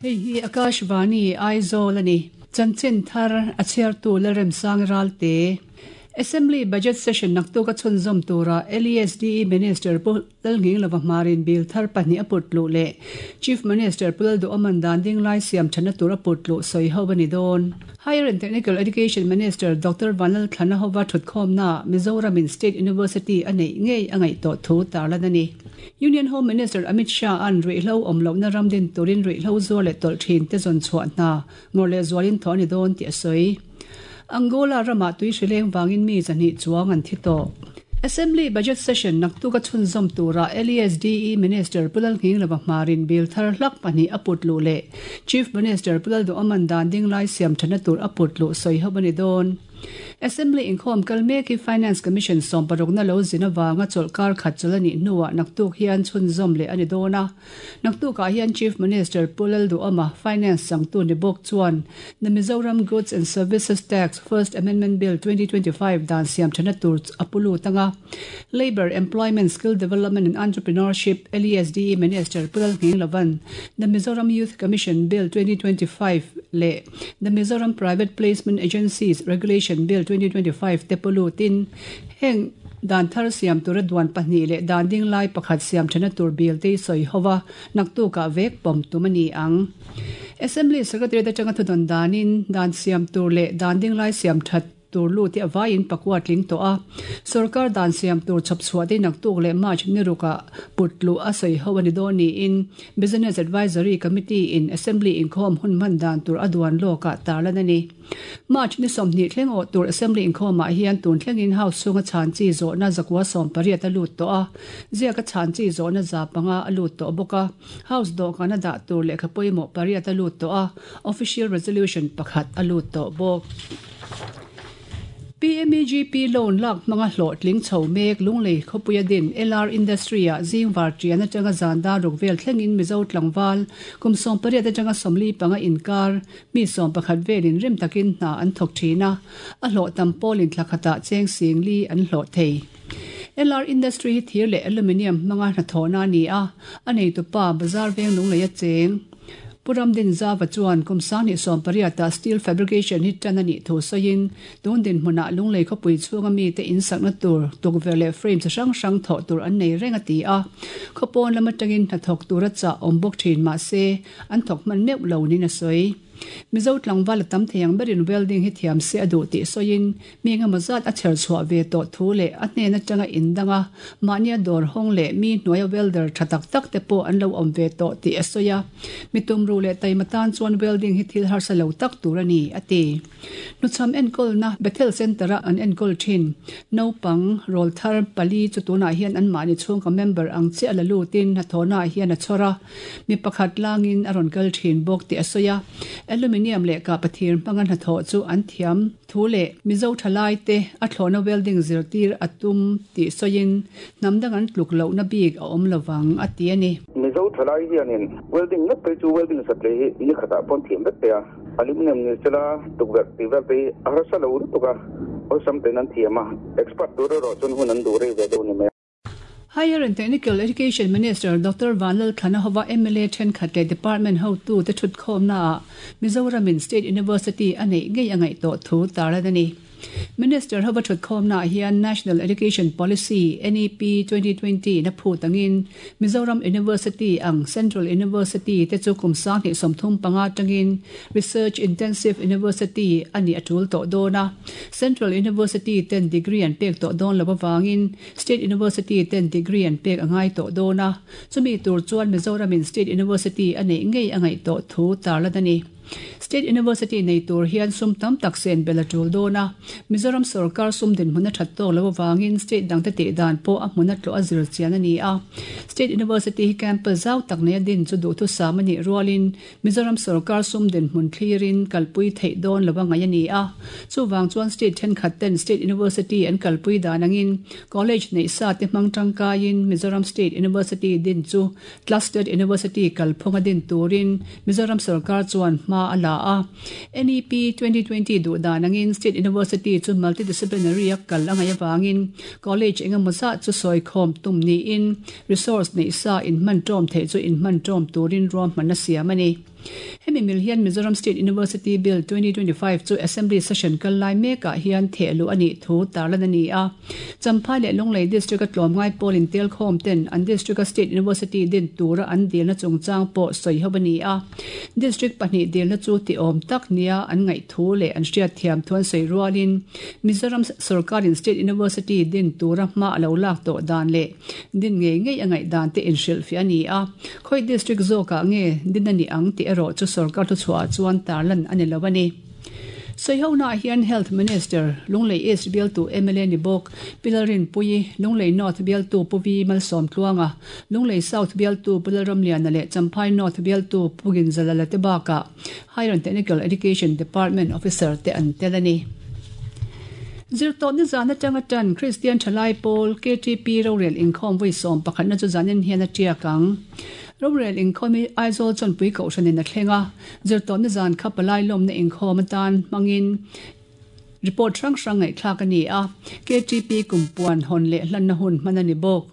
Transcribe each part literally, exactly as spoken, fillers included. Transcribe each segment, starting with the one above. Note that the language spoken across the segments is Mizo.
Hei hi Akashvani Aizawl ani. Chanchin thar a chhiartu Lalremsang Ralte. Assembly Budget Session naktuk a chhunzawm tura L E S D E Minister Pu Lalnghinglova Hmarin bill thar pahnih a put luh leh Chief Minister Pu Lalduhawman dan ding lai siam thana tur a put luh sawi ho ani dawn. Higher and Technical Education Minister Doctor Vanlal Thlana hova thutkhawmna Mizoram State University a nei ngei a ngaih tawh thu tarlan ani. Union Home Minister Amit Shah an ruihhlo awm lohna ramdin turin ruihhlo zuar leh tawlh thin te zawn chhuah hna ngawr leh zualin thaw ani dawn tih a sawi. Angola rama tui hrileng wangin mi zahnih chuang an thi tawh. Assembly Budget Session naktuk a chhunzawm tura L E S D E Minister Pu Lalnghinglova Hmarin bill thar hlak pahnih a put luh leh Chief Minister Pu Lalduhawman dan ding lai siam thana tur a put luh sawi ho ani dawn. Assembly inkhawm kal mek hi Finance Commission sawm parukna lo zin awanga chawlhkar khat chawlh anih hnuah naktuk hian chhunzawm leh ani dawn a. Naktukah hian Chief Minister Pu Lalduhawma Finance sangtu ni bawk chuan the Mizoram Goods and Services Tax First Amendment Bill twenty twenty-five dan siam thana tur a pulu tanga. Labour, Employment, Skill Development and Entrepreneurship L E S D E Minister Pu Lalnghinglovann the Mizoram Youth Commission Bill twenty twenty-five leh the Mizoram Private Placement Agencies Regulation Bill twenty twenty-five te pulu tin heng dan thar siam tur a duan pahnih leh dan ding lai pakhat siam thana tur bill te sawi howa naktuka vek pawm tum ani ang. Assembly Secretary te changa thudon danin dan siam tur leh dan ding lai siam that tur lu te awaiin pakua tling to a. Sarkar dan siam tur chhapchhuah te naktuk leh March niruka putlu a sawi ho ani dawn niin Business Advisory Committee in Assembly inkhawm hun man dan tur a duan lawka tarlan ani. March ni sawmhnih thleng aw tur Assembly inkhawmah hian tun thlengin house chhunga chhan chi zawhna zakua sawm pariat a lut tawh a. Ziaka chhan chi zawhna za panga a lut tawh bawk a. House dawhkan a dah tur lehkha pawimawh pariat a lut tawh a. Official Resolution pakhat a lut tawh bawk. P M E G P loan lak hmanga hlawh tling chho mek lunglei khawpuia din L R Industry ah zingvar tian atanga zanda ruk vel thlengin Mizo tlangval kum sawm pariat atanga sawmli panga inkar mi sawm pakhat velin rim takin hna an thawk thin a. A hlawh tam pawlin thlakhata cheng sing li an hlawh thei. L R Industry hi thir leh aluminium hmanga hnathawhna ani a. A nei tu pa bazar veng lunglei a cheng. Puram din zawa chuan kum sang ni sawm pariata steel fabrication hi tan ani thu sawiin tun din hmuna lunglei khawpui chhunga mi te in sakna tur tukverh leh frame chi hrang hrang thawh tur an nei reng a ti a. Khawpawn lam atangin hnathawk tur a chah awm bawk thin mahse an thawk hman meuh lo nin a sawi. Mizo tlangval a tam theiang berin welding hi thiam se a duh tih sawiin mi engemaw zat a chher chhuah ve tawh thu leh a hnen atanga indanga mahnia dawr hawng leh mi hnuaia welder tha tak tak te pawh an lo awm ve tawh tih a sawi a. Mi tumru leh taima tan chuan welding hi thil harsa lo tak tur ani a ti. Hnuchham enkawlna Bethel Centre-a an enkawl thin. Naupang rawl thar pali chu tunah hian an mahni chhungka member ang chiah la lutin hnathawhnaah hian a chhawr a. Mi pakhat langin a rawn kal thin bawk tih a sawi a. Aluminium leh ka pathir hmanga hnathawh chu an thiam thu leh Mizo thalai te a thlawhna welding zirtir a tum tih sawiin hnamdang an tluk lohna bik a awm lovang a ti ani. Mizo thalai hianin welding ngat phei chu welding satle hi ni khatah pawn thiam vek te a. Aluminium ni sela tukverh tih vel te hi a harsa lo lutuk a. Awlsam ten an thiam a. Expert tur erawh chuan hun an duh rei ve deuh ni mai. Higher and Technical Education Minister Doctor Vanlal Thlana hova M L A thenkhat leh Department hotu te thutkhawmna ah Mizoramin State University a nei ngei a ngaih tawh thu tarlan ani. Minister hova thutkhawmna ah hian National Education Policy N E P twenty twenty na phu tangin Mizoram University ang Central University te chu kum sang hnih sawmthum panga tangin Research Intensive University ani a tul tawh dawn a. Central University ten degree an pek tawh dawn lo awangin State University ten degree an pek angai tawh dawn a. Chumi tur chuan Mizoramin State University a nei ngei a ngaih tawh thu tarlan ani. State University nei tur hian sum tam tak sen bel a tul dawn a. Mizoram sarkar sum din hmuna that tawk lo awangin state dang te tih dan pawh a hmuna tlawh a zir chian ani a. State University hi campus zau tak nei a din chu duh thu sam ani rualin Mizoram sarkar sum din hmun thlirin kalpui theih dawn lo angai ani a. Chuwang chuan state thenkhat ten State University an kalpui dan angin college nei sa te hmang tangkaiin Mizoram State University din chu clustered university kalphunga din turin Mizoram sarkar chuan hma a la a. N E P twenty twenty duh dan angin State University chu multidisciplinary a kal angai awangin college engemaw zat chu sawi khawm tum niin resource nei sa in hman tawm theih chu in hman tawm turin ruahman a siam ani. Hemi mil hian Mizoram State University Bill twenty twenty-five chu Assembly Session kal lai mekah hian thehluh a nih thu tarlan a ni a. Champhai leh Lunglei District a tlawmngai pawlin telkhawm ten an District a State University din tura an dilna chungchang pawh sawi ho a ni a. District pahnih dilna chu ti awm tak nia an ngaih thu leh an hriat thiam thuan sawi rualin Mizoram Sarkarin State University din tura hma a lo lak tawh dan leh din ngei ngei a ngaih dan te inhrilh fiah a ni a. Khawi District zawkah nge din a ni ang tih erawh chu sarkar thu chhuah chuan tarlan a ni lo a ni. Sawi hian Health Minister Lunglei East bialtu M L A ni bawk Pilalrin Pui Lunglei North bialtu Puvi Malsawm Tluanga Lunglei South bialtu Pulalram Liana leh Champhai North bialtu Pugin Zalala te bakah Higher and Technical Education Department Officer te an tel a ni. Zirtawp ni zan atanga tan Christian Thalai Pawl K T P Rorel inkhawm vui sawm pakhatna chu zanin hian a tiak ang. Rorel inkhawm hi Aizawl chawnpui kohhranin a thleng a. Zirtawp ni zan kha palai lawmna inkhawm atan hmangin report hrang hrang ngaihthlak a ni a. K T P kumpuan hawn leh hlanna hun hman a ni bawk.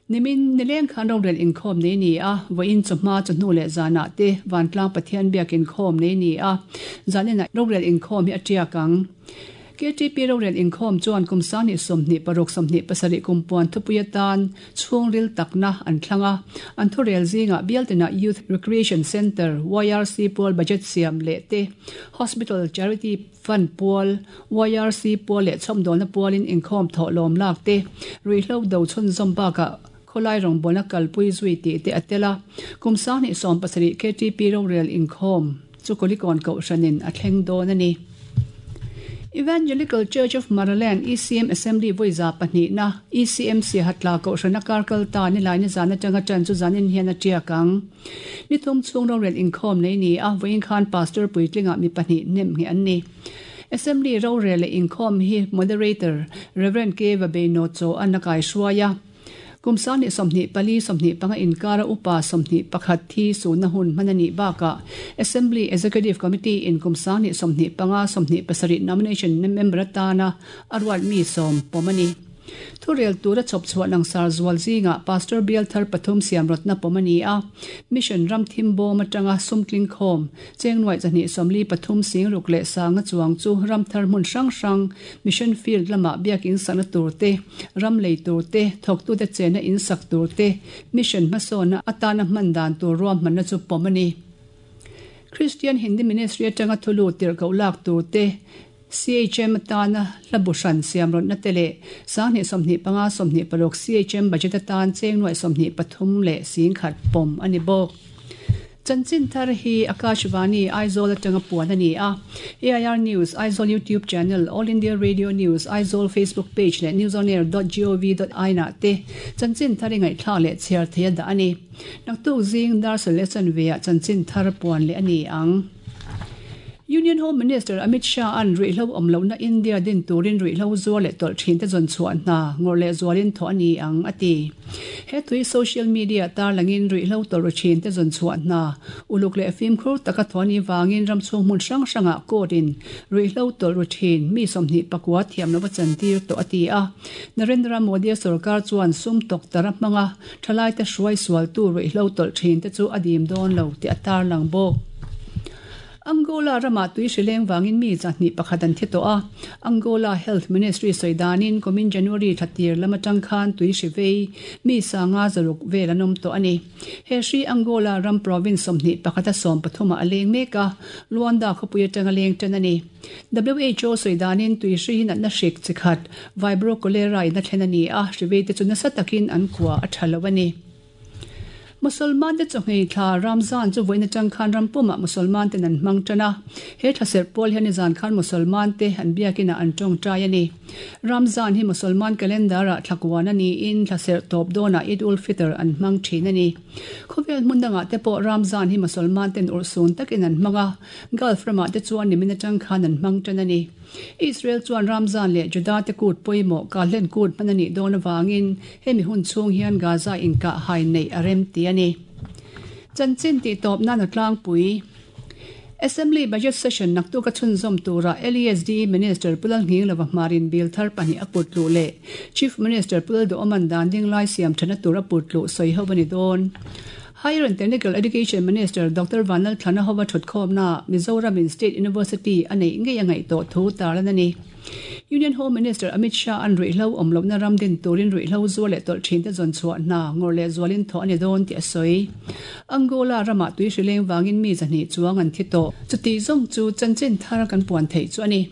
Nimin nileng khan rorel inkhawm nei ni a. Vawiin chawhma chawhnu leh zanah te Vantlang Pathian biak inkhawm nei ni a. Zanin rorel inkhawm hi a tiak ang. K T P Rorel inkhawm chuan kumsang ni sawmhnih paruk sawmhnih pasarih kumpuan thupui atan chhungril takna an thlang a. An thurel zingah bialtina Youth Recreation Center Y R C Pawl budget siam leh te Hospital Charity Fund Pawl Y R C Pawl leh chhawmdawlna pawlin inkhawm thawh lawm lak te ruihhlo do chhun zawm bakah khawlai rawngbawlna kalpui zui tih te a tel a. Kumsang ni sawm pasarih K T P Rorel inkhawm chu Kulikawn kohhranin a thleng dawn a ni. Evangelical Church of Maraland E C M Assembly voiza pahnih na E C M C hatla kohhrana karkal ta ni lai ni zan atanga tan chu zanin hian a tiak ang. Ni thum chhung rorel inkhawm nei ni a vawiin khan pastor puitlinga mi pahnih nem nge an ni. Assembly rorel leh inkhawm hi moderator Reverend K Vabeino cho an a kai hruaia. Kumsang ni sawmhnih pali sawmhnih panga inkara upa sawmhnih pakhat thi suna hun hman a nih bakah Assembly Executive Committee in kumsang ni sawmhnih panga sawmhnih pasarih nomination member atana a ruat mi sawm pawm a ni. Thurel tura chawp chhuah langsar zual zingah Pastor Bial Thar pathum siam rawtna pawm a ni a. Mission ram thim bawm atanga sumtling khawm chengnuai chahnih sawmli pathum sing ruk leh sanga chuang chu ram thar hmun hrang hrang mission field lamah biak in sakna tur te ram lei tur te thawktu te chena in sak tur te mission hmasawna atana hman dan tur ruam hmanna chu pawm a ni. Christian Hindi Ministry atanga thulu tirhkoh lak tur te C H M atana hlabuhran siam rawtna te leh sanghnih sawmhnih panga sawmhnih paruk C H M budget atan chengnuai sawmhnih pathum leh singkhat pawm a ni bawk. Chanchin thar hi Akashvani Aizawl atanga puan a ni a. A I R News Aizawl YouTube channel All India Radio News Aizawl Facebook page leh newsonair dot gov dot in ah te chanchin thar ingaihthlak leh chhiar thei a dah a ni. Naktuk zing darsal leh chanveah chanchin thar puan leh a ni ang. Union Home Minister Amit Shah an ruihhlo awm lohna India din turin ruihhlo zuar leh tawlh thin te zawn chhuah hna ngawr leh zualin thaw a ni ang a ti. He tui social media tarlangin ruihhlo tawlh ru thin te zawn chhuah hna uluk leh fimkhur taka thaw ni wangin ram chhung hmun hrang hrangah court-in ruihhlo tawlh ru thin mi sawmhnih pakua thiam lova chantir tawh a ti a. Narendra Modi sarkar chuan sum tok tara hmanga thalai te hruai sual tu ruihhlo tawlh thin te chu a dim dawn lo tih a tarlang bawk. Angola rama tui hrileng wangin mi chahnih pakhat an thi tawh a. Angola Health Ministry sawidanin kumin January thatir lama tang khan tui hrivei mi sanga zaruk vel an awm tawh a ni. He hri Angola ram province sawmhnih pakhata sawm pathuma a leng mek a. Luanda khawpui atanga leng tan a ni. W H O sawidanin tui hri hin natna hrik chikhat Vibrio cholerae in a thlen a ni a. Hrivei te chu nasa takin an khua a tha lo a ni. Musalman te chawhngei thla Ramzan chu vawiin atang khan rampumah Musalman ten an hmang tan a. He thlaserh pawl hian zan khan Musalman te an biakina an tawngtai a ni. Ramzan hi Musalman calendar ah thlakuan a ni in thlaserh tawp dawnah Eid ul Fitr an hmang thin a ni. Khawvel hmun dangah te pawh Ramzan hi Musalman ten urhsun takin an hmang a. Gulf ramah te chuan nimin atang khan an hmang tan a ni. Israel chuan Ramzan leh Juda te kut pawimawh kahlen kut hman a nih dawn awangin hemi hun chhung hian Gaza inkah hai nei a rem ti a ni. Chanchin tih tawp nan a tlangpui. Assembly Budget Session naktuk a chhunzawm tura L E S D Minister Pulal Nghinglova hmarin bill thar pahnih a put luh leh Chief Minister Pulal Duh Awman dan ding lai siam thana tur a put luh sawi ho a ni dawn. Higher and Technical Education Minister Doctor Vanlalthlana hova thutkhawmna Mizoram State University anei ngei angai to thu tarlan ani. Union Home Minister Amit Shah an ruihhlo awmlohna ram din turin ruihhlo zuar leh tawlh thin te zawn chhuah hna ngawr leh zualin thawh ani dawn tih a sawi. Angola rama tui hrileng wangin mi zahnih chuang an thi tawh. Chuti zawng chu chanchin thar kan puan theih chu ani.